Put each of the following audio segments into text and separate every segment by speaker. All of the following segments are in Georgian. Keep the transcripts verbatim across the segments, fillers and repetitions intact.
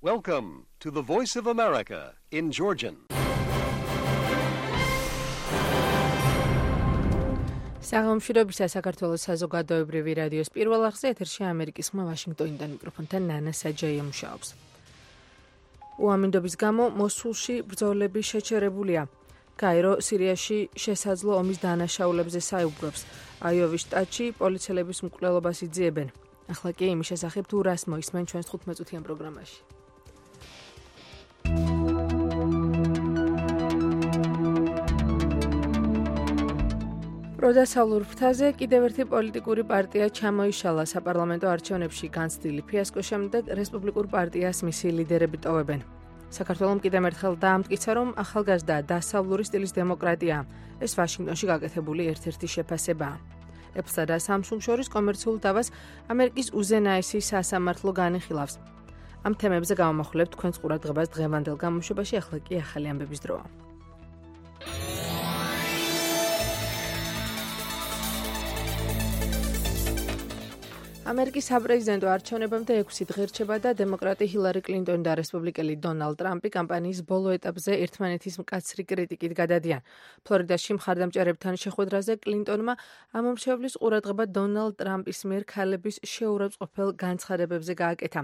Speaker 1: Welcome to the Voice of America in Georgian.
Speaker 2: საღამოშრობისა საქართველოს საზოგადოებრივი რადიოს პირველ არხზე ეთერში ამერიკის ხმა ვაშინგტონიდან მიკროფონთან ნანა საჯაია მუშაობს. უამინდობის გამო მოსულში ბრძოლები შეჩერებულია. კაირო სირიაში შესაძლო ომის დანაშაულებზე საუბრობს. აიოვის შტატში პოლიციელების მკვლელობას იძიებენ. ახლა კი იმის შესახებ თუ რას მოისმენ ჩვენს თხუთმეტ წუთიან პროგრამაში. პროდასავლურ ფრთაზე კიდევ ერთი პოლიტიკური პარტია ჩამოიშალა საპარლამენტო არჩევნებში განცდილი ფიასკოს შემდეგ რესპუბლიკურ პარტიას მისი ლიდერები ტოვებენ. საქართველოს კიდევ ერთხელ დაამტკიცა, რომ ახალგაზრდა დასავლური სტილის დემოკრატია. ეს ვაშინგტონში გაკეთებული ერთ-ერთი შეფასებაა. ეფსა და სამსუნგ შორის კომერციულ დავას ამერიკის უზენაესი სასამართლო განიხილავს. ამ თემებზე გავამახვილებთ თქვენს ყურადღებას დღევანდელ გამოშვებაში, ახლა კი ახალი ამბების დროა. ამერიკის საპრეზიდენტო არჩევნებამდე ექვსი დღე რჩება და დემოკრატი ჰილარი კლინტონი და რესპუბლიკელი დონალდ ტრამპი კამპანიის ბოლო ეტაპზე ერთმანეთის მკაცრი კრიტიკით გადადიან. ფლორიდაში მხარდამჭერებთან შეხვედრაზე კლინტონმა ამომრჩევლის ყურადღება დონალდ ტრამპის მიერ ქალების შეურაცხმყოფელ განცხადებებზე გააკეთა.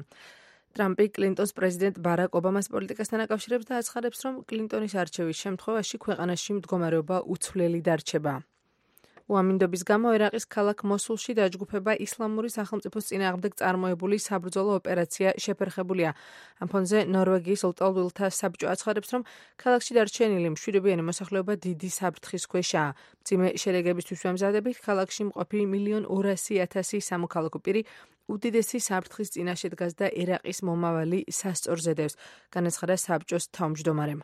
Speaker 2: ტრამპი კლინტონს პრეზიდენტ ბარაკ ობამას პოლიტიკასთან აკავშირებს და აცხადებს, რომ კლინტონის არჩევის შემთხვევაში ქვეყანაში მდგომარეობა უცვლელი დარჩება. უამინდობის გამო ერაყის ქალაქ მოსულში დაჯგუფება ისლამური სახელმწიფოს წინააღმდეგ წარმოებული საბრძოლო ოპერაცია შეფერხებულია. ამ ფონზე ნორვეგიის ლტოლვილთა საბჭო აცხადებს, რომ ქალაქში დარჩენილი მშვიდობიანი მოსახლეობა დიდი საფრთხის ქვეშაა. მძიმე შედეგებისთვის ვემზადებით, ქალაქში მყოფი მილიონ ორასი ათასი სამოქალაქო პირი უდიდესი საფრთხის წინაშე დგას და ერაყის მომავალი სასწორზე დევს, განაცხადა საბჭოს თავმჯდომარემ.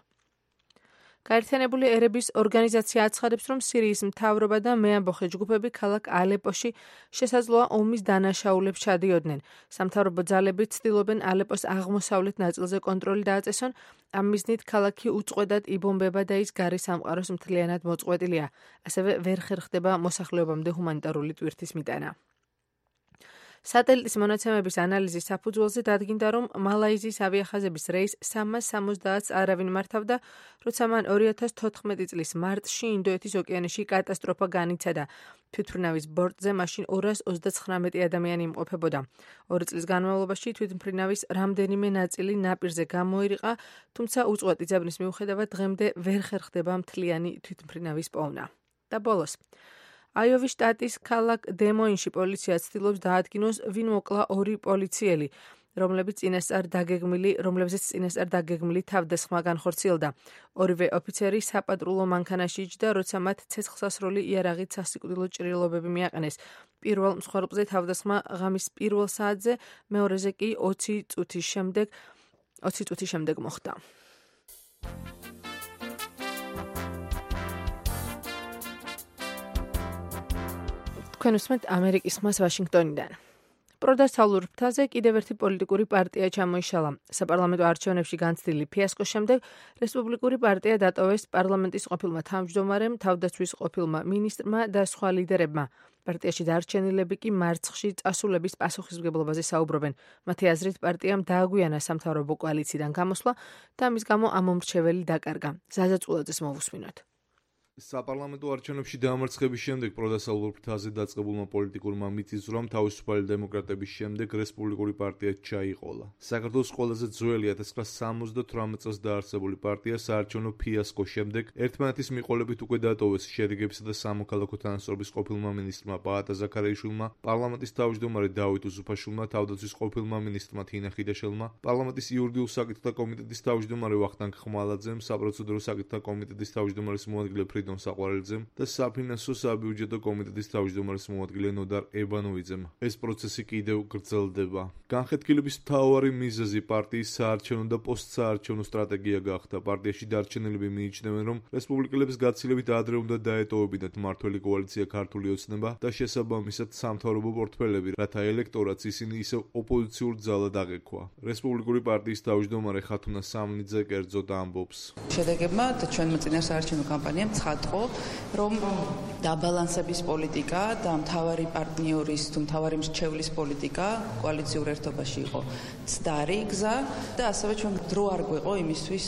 Speaker 2: გაერთიანებული ერების ორგანიზაცია აცხადებს, რომ სირიის მთავრობა და მეამბოხე ჯგუფები ქალაქ ალეპოში შესაძლოა ომის დანაშაულებს ჩადიოდნენ. სამთავრობო ძალები ცდილობენ ალეპოს აღმოსავლეთ ნაწილზე კონტროლი დააწესონ, ამ მიზნით ქალაქი უწყვეტად იბომბება და ის გარის სამყაროს მთლიანად მოწყვეტილია. ასევე ვერ ხერხდება მოსახლეობამდე ჰუმანიტარული ტვირთის მიტანა. სატელიტის მონაცემების ანალიზის საფუძველზე დადგინდა, რომ მალაიზიის ავიახაზების რეის სამას სამოცდაათს არავინ მართავდა, როცა მან ორი ათას თოთხმეტი წლის მარტში ინდოეთის ოკეანეში კატასტროფა განიცადა. თვითმფრინავის ბორტზე მაშინ ორას ოცდაცხრამეტი ადამიანი იმყოფებოდა. ორი წლის განმავლობაში თვითმფრინავის რამდენიმე ნაწილი ნაპირზე გამოირიყა, თუმცა უწყვეტი ძებნის მიუხედავად დღემდე ვერ ხერხდება მთლიანი თვითმფრინავის პოვნა. და ბოლოს აიოვის შტატის ქალაქ დემოინში პოლიცია ცდილობს დაადგინოს, ვინ მოკლა ორი პოლიციელი, რომლებიც წინასწარ დაგეგმილი, რომლებზეც წინასწარ დაგეგმილი თავდასხმა განხორციელდა. ორივე ოფიცერი საპატრულო მანქანაში იჯდა, როცა მათ ცეცხლსასროლი იარაღით სასიკვდილო ჭრილობები მიაყენეს. პირველ მსხვერპლზე თავდასხმა ღამის პირველ საათზე, მეორეზე კი ოცი წუთის შემდეგ, ოცი წუთის შემდეგ მოხდა. თქვენ უსმენთ ამერიკის ხმას ვაშინგტონიდან. პროდასავლურ ფრთაზე კიდევ ერთი პოლიტიკური პარტია ჩამოიშალა. საპარლამენტო არჩევნებში განცდილი ფიასკოს შემდეგ რესპუბლიკური პარტია დატოვეს პარლამენტის ყოფილმა თავმჯდომარემ, თავდაცვის ყოფილმა მინისტრმა და სხვა ლიდერებმა. პარტიაში დარჩენილები კი მარცხში წასულების პასუხისმგებლობაზე საუბრობენ. მათი აზრით პარტიამ დააგვიანა სამთავრობო კოალიციიდან გამოსვლა და ამის გამო ამომრჩეველი დაკარგა. ზაზა წულაძეს მოვუსმინოთ.
Speaker 3: საპარლამენტო არჩევნებში დამარცხების შემდეგ პროდასავლურ ფრთაზე დაწყებულმა პოლიტიკურმა მიწისძვრამ თავისუფალი დემოკრატების შემდეგ რესპუბლიკური პარტია ჩაიყოლა. საქართველოს ყველაზე ძველი ათას ცხრაასა სამოცდათვრამეტ წელს დაარსებული პარტია საარჩევნო ფიასკოს შემდეგ ერთმანეთის მიყოლებით უკვე დატოვეს შედეგებისა და სამოქალაქო თანასწორობის ყოფილმა მინისტრმა პაატა ზაქარიაშვილმა, პარლამენტის თავმჯდომარე დავით უსუფაშვილმა, თავდაცვის ყოფილმა მინისტრმა თინა ხიდაშელმა, პარლამენტის იურიდიულ საკითხთა კომიტეტის თავმჯდომარე ვახტანგ ხმალაძემ, საპროცედურო საკითხთა კომიტეტის თავმჯდომარის მოადგილე ფრიდონ საყვარელიძემ და საფინანსო საბიუჯეტო კომიტეტის თავმჯდომარის მოადგილე ნოდარ ებანოვიძემ. ეს პროცესი კიდევ გრძელდება. განხეთქილების მთავარი მიზეზი პარტიის საარჩევნო და პოსტსაარჩევნო სტრატეგია გახდა. პარტიაში დარჩენილები მიიჩნევენ, რომ რესპუბლიკელების გაცილებით ადრე უნდა დაეტოვებინათ მმართველი კოალიცია ქართული ოცნება და შესაბამისად სამთავრობო პორტფელები, რათა ელექტორატს ისინი ისევ ოპოზიციურ ძალად აღექვა. რესპუბლიკური პარტიის თავმჯდომარე ხათუნა სამნიძე კერძოდ ამბობს.
Speaker 4: შედეგებმა და ჩვენმა წინასაარჩევნო კამპანიამ ცხადყო, რომ დაბალანსების პოლიტიკა და მთავარი პარტნიორის თუ მთავარი მრჩევლის პოლიტიკა კოალიციურ ერთობაში იყო ცდარი გზა და ასევე ჩვენ დრო არ გვეყო იმისთვის,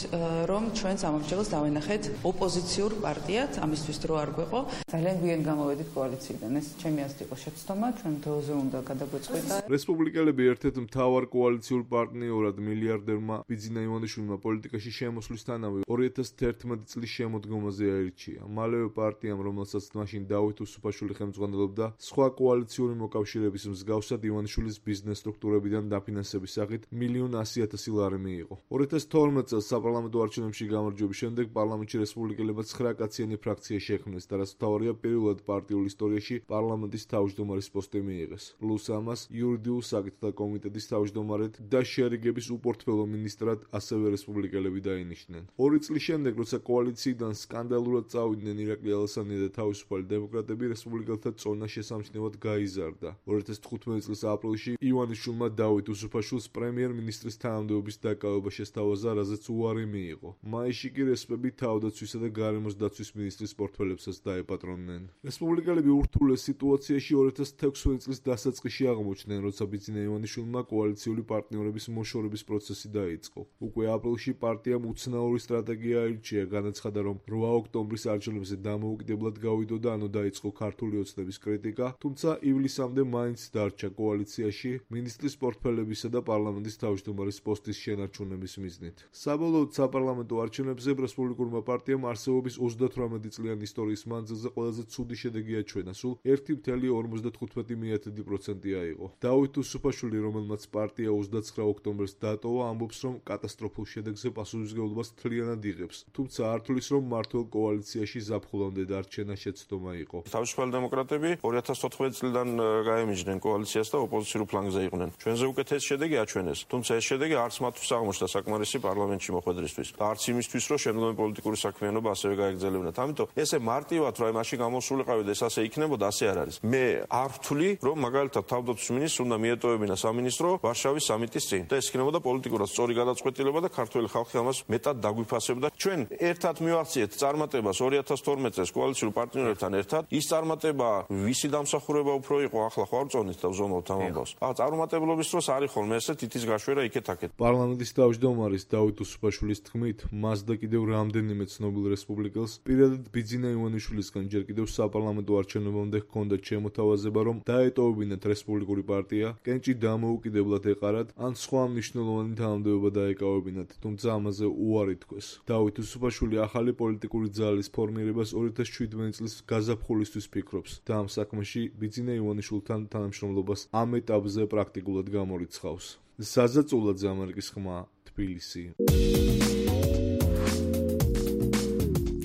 Speaker 4: რომ ჩვენს ამომრჩეველს დავენახეთ ოპოზიციურ პარტიად, ამისთვის დრო არ გვეყო. ძალიან გვიან გამოვედით კოალიციიდან. ეს ჩემი აზრით იყო შეცდომა, ჩვენ დროზე უნდა გადაგვეწყვეტა.
Speaker 3: რესპუბლიკელები ერთ-ერთ მთავარ კოალიციურ პარტნიორად მილიარდერმა ბიძინა ივანიშვილმა პოლიტიკაში შემოსვლისთანავე ორი ათას თერთმეტი წლის შემოდგომაზე აირჩია. მალევე პარტიამ, რომელსაც მაშინ დავით უსუფაშვილი ხელმძღვანელობდა, სხვა კოალიციური მოკავშირეების მსგავსად ივანიშვილის ბიზნეს სტრუქტურებიდან დაფინანსების სახით მილიონ ასი ათასი ლარი მიიღო. ორი ათას თორმეტ წელს საპარლამენტო არჩევნებში გამარჯვების შემდეგ პარლამენტში რესპუბლიკელებმა ცხრა კაციანი ფრაქცია შექმნეს და რაც მთავარია, პირველად პარტიულ ისტორიაში პარლამენტის თავმჯდომარის პოსტი მიიღეს. პლუს ამას იურიდიულ საკითხთა კომიტეტის თავმჯდომარედ და შეერიგების უპორტფელო მინისტრად ასევე რესპუბლიკელები დაინიშნენ. ორი წლის შემდეგ, როცა კოალიციიდან სკანდალურად წავიდნენ ირაკლი ალასანია და თავისუფალი დემოკრატები, რესპუბლიკელთა წონა შესამჩნევად გაიზარდა. ორი ათას თხუთმეტი წლის აპრილში ივანიშვილმა დავით უსუფაშვილს პრემიერ-მინისტრის თანამდებობის დაკავება შესთავაზა, რაზეც უარი მიიღო. მაისში კი რესპები თავდაცვისა და გარემოს დაცვის მინისტრის პორტფელებსაც დაეპატრონნენ. რესპუბლიკელები ურთულეს სიტუაციაში ორი ათას თექვსმეტი წლის დასაწყისში აღმოჩნდნენ, როცა ბიძინა ივანიშვილმა კოალიციური პარტნიორების მოშორების პროცესი დაიწყო. უკვე აპრილში პარტიამ უცნაური სტრატეგია აირჩია, განაცხადა, რომ რვა ოქტომბრის არჩევნებზე დამოუკიდებლად გავიდოდა, ანუ დაიწყო ქართული ოცნების კრიტიკა, თუმცა ივლისამდე მაინც დარჩა კოალიციაში მინისტრის პორტფელებისა და პარლამენტის თავმჯდომარის პოსტის შენარჩუნების მიზნით. საბოლოოდ საპარლამენტო არჩევნებზე რესპუბლიკურმა პარტიამ არსებობის ოცდათვრამეტი წლიანი ისტორიის მანძილზე ყველაზე ცუდი შედეგი აჩვენა, სულ ერთი წელი ორმოცდათხუთმეტი პროცენტი აიღო. დავით უსუფაშვილი, რომელმაც პარტია ოცდაცხრა ოქტომბერს დატოვა, ამბობს, რომ კატასტროფულ შედეგზე პასუხისმგებლობას მთლიანად იღებს, თუმცა არ თვლის, რომ მართლ კოალიციაში ზაფხულამდე დარჩენა შეცდომა იყო.
Speaker 5: თავისუფალი დემოკრატები ორი ათას თოთხმეტი წლიდან გაემიჯნენ კოალიციას და ოპოზიციურ ფლანგზე იყვნენ. ჩვენზე უკეთესი შედეგი აჩვენეს, თუმცა ეს შედეგი არც მათთვის აღმოჩნდა საკმარისი პარლამენტში მოხვედრისთვის და არც იმისთვის, რომ შემდგომი პოლიტიკური საქმიანობა ასევე გაეგრძელებინათ. ამიტომ ესე მარტივად, რომ მაშინ გამოსულიყავი და ეს ასე იქნებოდა, ასე არ არის. მე არ ვთვლი, რომ მაგალითად თავდაცვის მინისტრს უნდა მიეტოვებინა სამინისტრო ვარშავის სამიტის წინ და ეს იქნებოდა პოლიტიკურად სწორი გადაწყვეტილება და ქართველი ხალხი ამას მეტად დაგვიფასებდა. ჩვენ ერთად მივახციეთ წარმატებას ორი ათას თორმეტ წელს კოალიციური პარტნიორებთან ერთად. ის წარმატება ვისი დამსახურება უფრო იყო, ახლა ხო არ წონით და ვზომავთ ამ ამბავს. აა წარმატებლობის დროს არის ხოლმე ესე თითის გაშვერა იქეთ-აქეთ.
Speaker 3: პარლამენტის თავმჯდომარის დავით უსუფაშვილის თქმით, მას და კიდევ რამდენიმე ცნობილ რესპუბლიკელს პირადად ბიძინა ივანიშვილისგან ჯერ კიდევ საპარლამენტო არჩევნებამდე ჰქონდათ შემოთავაზება, რომ დაეტოვებინათ რესპუბლიკური პარტია, კენჭი დამოუკიდებლად ეყარათ, ან სხვა მნიშვნელოვანი თანამდებობა დაეკავებინათ, თუმცა ამაზე უარი თქვეს. დავით უსუფაშვილი ახალი პოლიტიკური ძალის ფორმირებას ორი ათას შვიდმეტი წლის გაზაფხულისთვის ფიქრობს და ამ საქმეში ბიძინა ივანიშვილთან თანამშრომლობას ამ ეტაპზე პრაქტიკულად გამორიცხავს. საზაწულაძე, ამერიკის ხმა, თბილისი.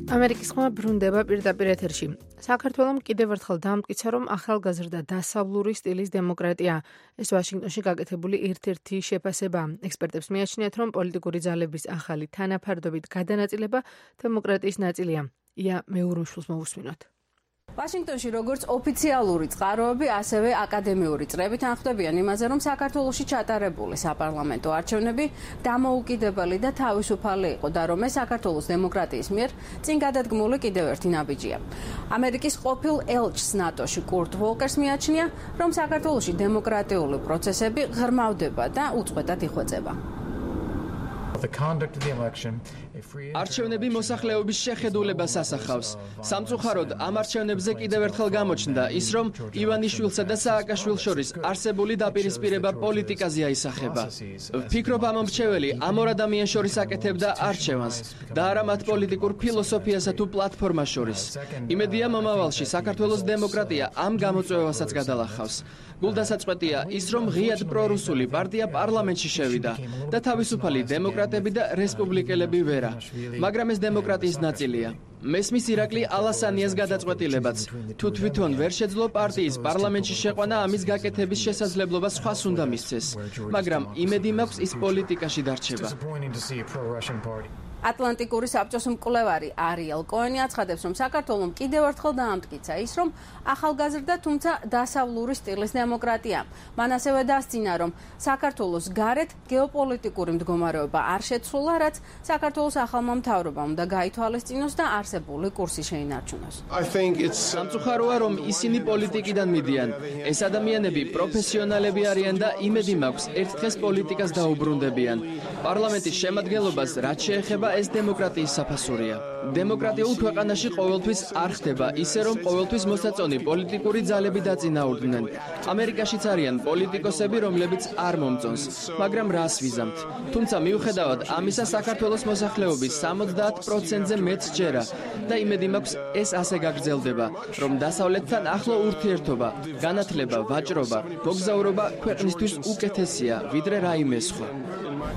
Speaker 2: ამერიკის ხმა ბრუნდება პირდაპირ ეთერში. საქართველომ კიდევ ერთხელ დაამტკიცა, რომ ახალგაზრდა დასავლური სტილის დემოკრატია. ეს ვაშინგტონში გაკეთებული ერთ-ერთი შეფასება. ექსპერტებს მიაჩნიათ, რომ პოლიტიკური ძალების ახალი თანაფარდობით გადანაწილება დემოკრატიის ნაწილია. ია მეურუმშვილს მოვუსმინოთ.
Speaker 6: ვაშინგტონში როგორც ოფიციალური წყაროები, ასევე აკადემიური წრებით ანხმდებიან იმაზე, რომ საქართველოში ჩატარებული საპარლამენტო არჩევნები დამოუკიდებელი და თავისუფალი იყო და რომ ეს საქართველოს დემოკრატიის მიერ წინ გადადგმული კიდევ ერთი ნაბიჯია. ამერიკის ყოფილ ელჩს ნატოში კურტ ვოლკერს მიაჩნია, რომ საქართველოში დემოკრატიული პროცესები ღრმავდება და უწყვეტად იხვეწება.
Speaker 7: არჩევნები მოსახლეობის შეხედულებას ასახავს. სამწუხაროდ, ამ არჩევნებზე კიდევ ერთხელ გამოჩნდა ის, რომ ივანიშვილსა და სააკაშვილს შორის არსებული დაპირისპირება პოლიტიკაზე აისახება. ვფიქრობ, ამ მომრჩეველი ამ ორ ადამიანს შორის აკეთებდა არჩევანს და არა მათ პოლიტიკურ ფილოსოფიასა თუ პლატფორმას შორის. იმედია, მომავალში საქართველოს დემოკრატია ამ გამოწვევასაც გადალახავს. გულდასაწყვეტია ის, რომ ღიად პრორუსული პარტია პარლამენტში შევიდა და თავისუფალი დემოკრატები და რესპუბლიკელები ვერა, მაგრამ ეს დემოკრატიის ნაწილია. მესმის ირაკლი ალასანიას გადაწყვეტილებაც, თუ თვითონ ვერ შეძლო პარტიის პარლამენტში შეყვანა, ამის გაკეთების შესაძლებლობა სხვას უნდა მისცეს, მაგრამ იმედი მაქვს ის პოლიტიკაში დარჩება.
Speaker 6: ატლანტიკური საბჭოს მკვლევარი არიელ კოენი აცხადებს, რომ საქართველოს კიდევ ერთხელ დაამტკიცა ის, რომ ახალგაზრდა, თუმცა დასავლური სტილის დემოკრატია. მან ასევე დასძინა, რომ საქართველოს გარეთ გეოპოლიტიკური მდგომარეობა არ შეცვლა, რაც საქართველოს ახალმა მთავრობამ უნდა გაითვალისწინოს და არსებული კურსი შეინარჩუნოს.
Speaker 7: სამწუხაროა, რომ ისინი პოლიტიკიდან მიდიან. ეს ადამიანები პროფესიონალები არიან და იმედი მაქვს, ერთ დღეს პოლიტიკას დაუბრუნდებიან. პარლამენტის შემადგენლობას რაც შეეხება ეს დემოკრატიის საფასურია. დემოკრატიულ ქვეყანაში ყოველთვის არ ხდება ისე, რომ ყოველთვის მოსაწონი პოლიტიკური ძალები დაწინაურდნენ. ამერიკაშიც არიან პოლიტიკოსები, რომლებიც არ მომწონს, მაგრამ რას ვიზამთ. თუმცა მიუხედავად ამისა, საქართველოს მოსახლეობის სამოცდაათ პროცენტზე მეც ჯერა და იმედი მაქვს ეს ასე გაგრძელდება, რომ დასავლეთთან ახლო ურთიერთობა, განათლება, ვაჭრობა, მოგზაურობა ქვეყნისთვის უკეთესია, ვიდრე რაიმე სხვა.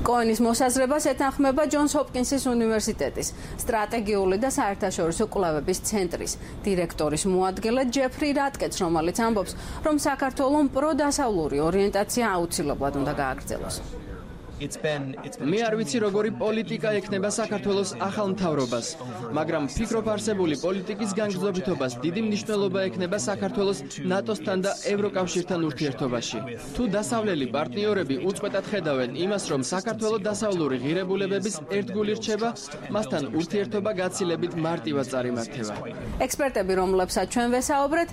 Speaker 6: კოენის მოსაზრებას ეთანხმება ჯონს ჰოპკინსის უნივერსიტეტის სტრატეგიული და საერთაშორისო კვლევების ცენტრის დირექტორის მოადგილე ჯეფრი რატკეტს, რომელიც ამბობს, რომ საქართველოს პროდასავლური ორიენტაცია აუცილებლად უნდა გააგრძელოს.
Speaker 7: მე არ ვიცი, როგორი პოლიტიკა ექნება საქართველოს ახალ მთავრობას, მაგრამ ვფიქრობ, არსებული პოლიტიკის განგრძობითობას დიდი მნიშვნელობა ექნება საქართველოს ნატოსთან და ევროკავშირთან ურთიერთობაში. თუ დასავლელი პარტნიორები უწყვეტად ხედავენ იმას, რომ საქართველოს დასავლური ღირებულებების ერთგული რჩება, მასთან ურთიერთობა გაცილებით მარტივად წარიმართება.
Speaker 6: ექსპერტები, რომლებსაც ჩვენ ვესაუბრეთ,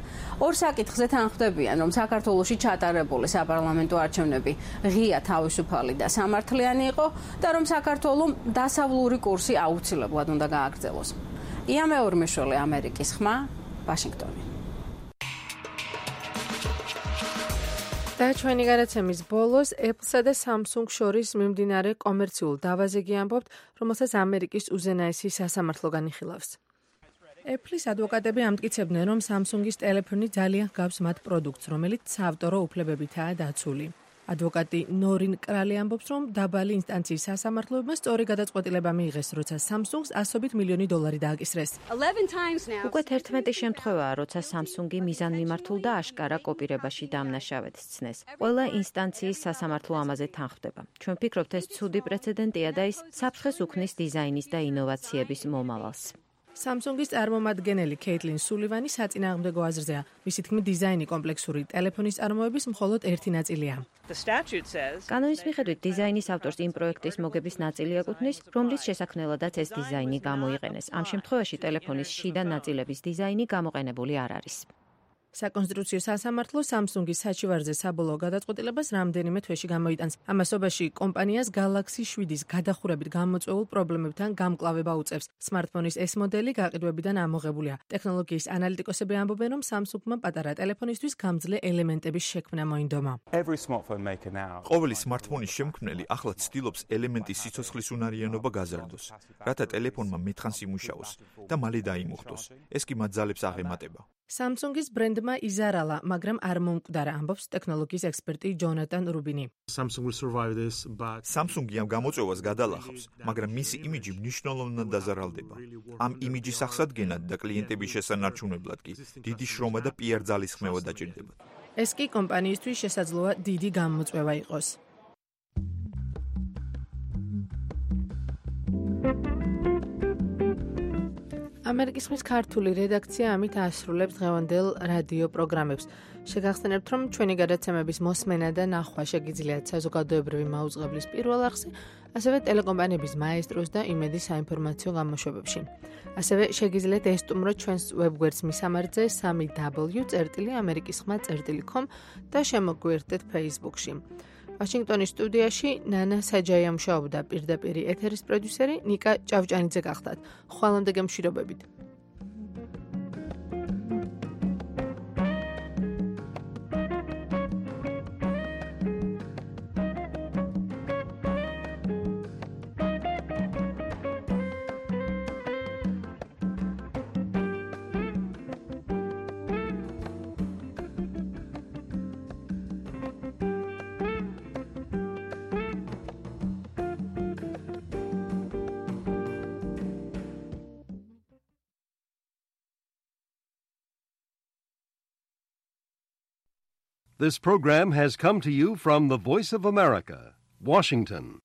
Speaker 6: ორ საკითხზე თანხმდებიან, რომ საქართველოში ჩატარებული საპარლამენტო არჩევნები ღია, თავისუფალი და სამართლიანი იყო და რომ საქართველოს დასავლური კურსი აუცილებლად უნდა გააგრძელოს. ია მეორმეშვილი, ამერიკის ხმა, ვაშინგტონი.
Speaker 2: და ჩვენი გადაცემის ბოლოს Apple-სა და Samsung შორის მიმდინარე კომერციულ დავაზეგი ამბობთ, რომელსაც ამერიკის უზენაესი სასამართლო განიხილავს. Apple-ის ადვოკატები ამტკიცებდნენ, რომ Samsung-ის ტელეფონი ძალიან გავს მათ პროდუქტს, რომელიც საავტორო უფლებებითაა დაცული. ადვოკატი ნორინ კრალი ამბობს, რომ დაბალი ინსტანციის სასამართლოებმა სწორი გადაწყვეტილება მიიღეს, როცა Samsung-ს ასობით მილიონი დოლარი დააკისრეს.
Speaker 8: უკვე თერთმეტი შემთხვევაა, როცა Samsung-ი მიზანმიმართულ და აშკარა კოპირებაში დამნაშავედ სცნეს. ყველა ინსტანციის სასამართლო ამაზე თანხმდება. ჩვენ ვფიქრობთ, ეს ცუდი პრეცედენტია და ის საფრთხეს უქმნის დიზაინის და ინოვაციების მომავალს.
Speaker 2: Samsung-ის წარმომადგენელი კეიტლინ სულივანი საწინააღმდეგო აზრზეა. მისი თქმით, დიზაინი კომპლექსური ტელეფონის წარმოების მხოლოდ ერთი ნაწილია.
Speaker 8: კანონის მიხედვით დიზაინის ავტორს იმ პროექტის მოგების ნაწილი ეკუთვნის, რომლის შესაქმნელადაც ეს დიზაინი გამოიყენეს. ამ შემთხვევაში ტელეფონის შიდა ნაწილების დიზაინი გამოყენებული არ არის.
Speaker 2: საკონსტრუქციო სასამართლო Samsung-ის საჩივარზე საბოლოო გადაწყვეტილებას რამდენიმე თვეში გამოიტანს. ამასობაში კომპანიას Galaxy შვიდის გადახურებით გამოწვეულ პრობლემებთან გამკლავება უწევს. სმარტფონის ეს მოდელი გაყიდვებიდან ამოღებულია. ტექნოლოგიის ანალიტიკოსები ამბობენ, რომ Samsung-მა პატარა ტელეფონისთვის გამძლე ელემენტების შექმნა მოინდომა.
Speaker 9: ყოველი სმარტფონის შემქმნელი ახლა ცდილობს ელემენტის სიცოცხლის უნარიანობა გაზარდოს, რათა ტელეფონმა მეთხანს იმუშაოს და მალე დაიმუხტოს. ეს კი მათ ძალებს აღემატება.
Speaker 2: Samsung-ის ბრენდმა იზარალა, მაგრამ არ მომკვდარა, ამბობს ტექნოლოგიის ექსპერტი ჯონატან რუბინი.
Speaker 9: Samsung-ი ამ გამოწვევას გადალახავს, მაგრამ მისი იმიჯი მნიშვნელოვნად დაზარალდება. ამ იმიჯის აღსადგენად და კლიენტების შესანარჩუნებლად კი დიდი შრომა და პი არ ძალისხმევა დაჭირდება.
Speaker 2: ეს კი კომპანიისთვის შესაძლოა დიდი გამოწვევა იყოს. ამერიკის ხმის ქართული რედაქცია ამით ასრულებს დღევანდელ რადიო პროგრამებს. შეგახსენებთ, რომ ჩვენი გადაცემების მოსმენა და ნახვა შეგიძლიათ საზოგადოებრივი მაუწყებლის პირველ არხზე, ასევე ტელეკომპანიების მაესტროს და იმედის საინფორმაციო გამოშვებებში. ასევე შეგიძლიათ ესტუმროთ ჩვენს ვებგვერდს მისამართზე სამი დაბლიუ წერტილი ამერიკის ხმა წერტილი კომ და შემოგვიერთდეთ Facebook-ში. ვაშინგტონის სტუდიაში ნანა საჯაია მუშაობდა, პირდაპირ ეთერის პროდიუსერი ნიკა ჭავჭანიძე გახდათ. ხვალამდე გემშვიდობებით.
Speaker 1: This program has come to you from the Voice of America, Washington.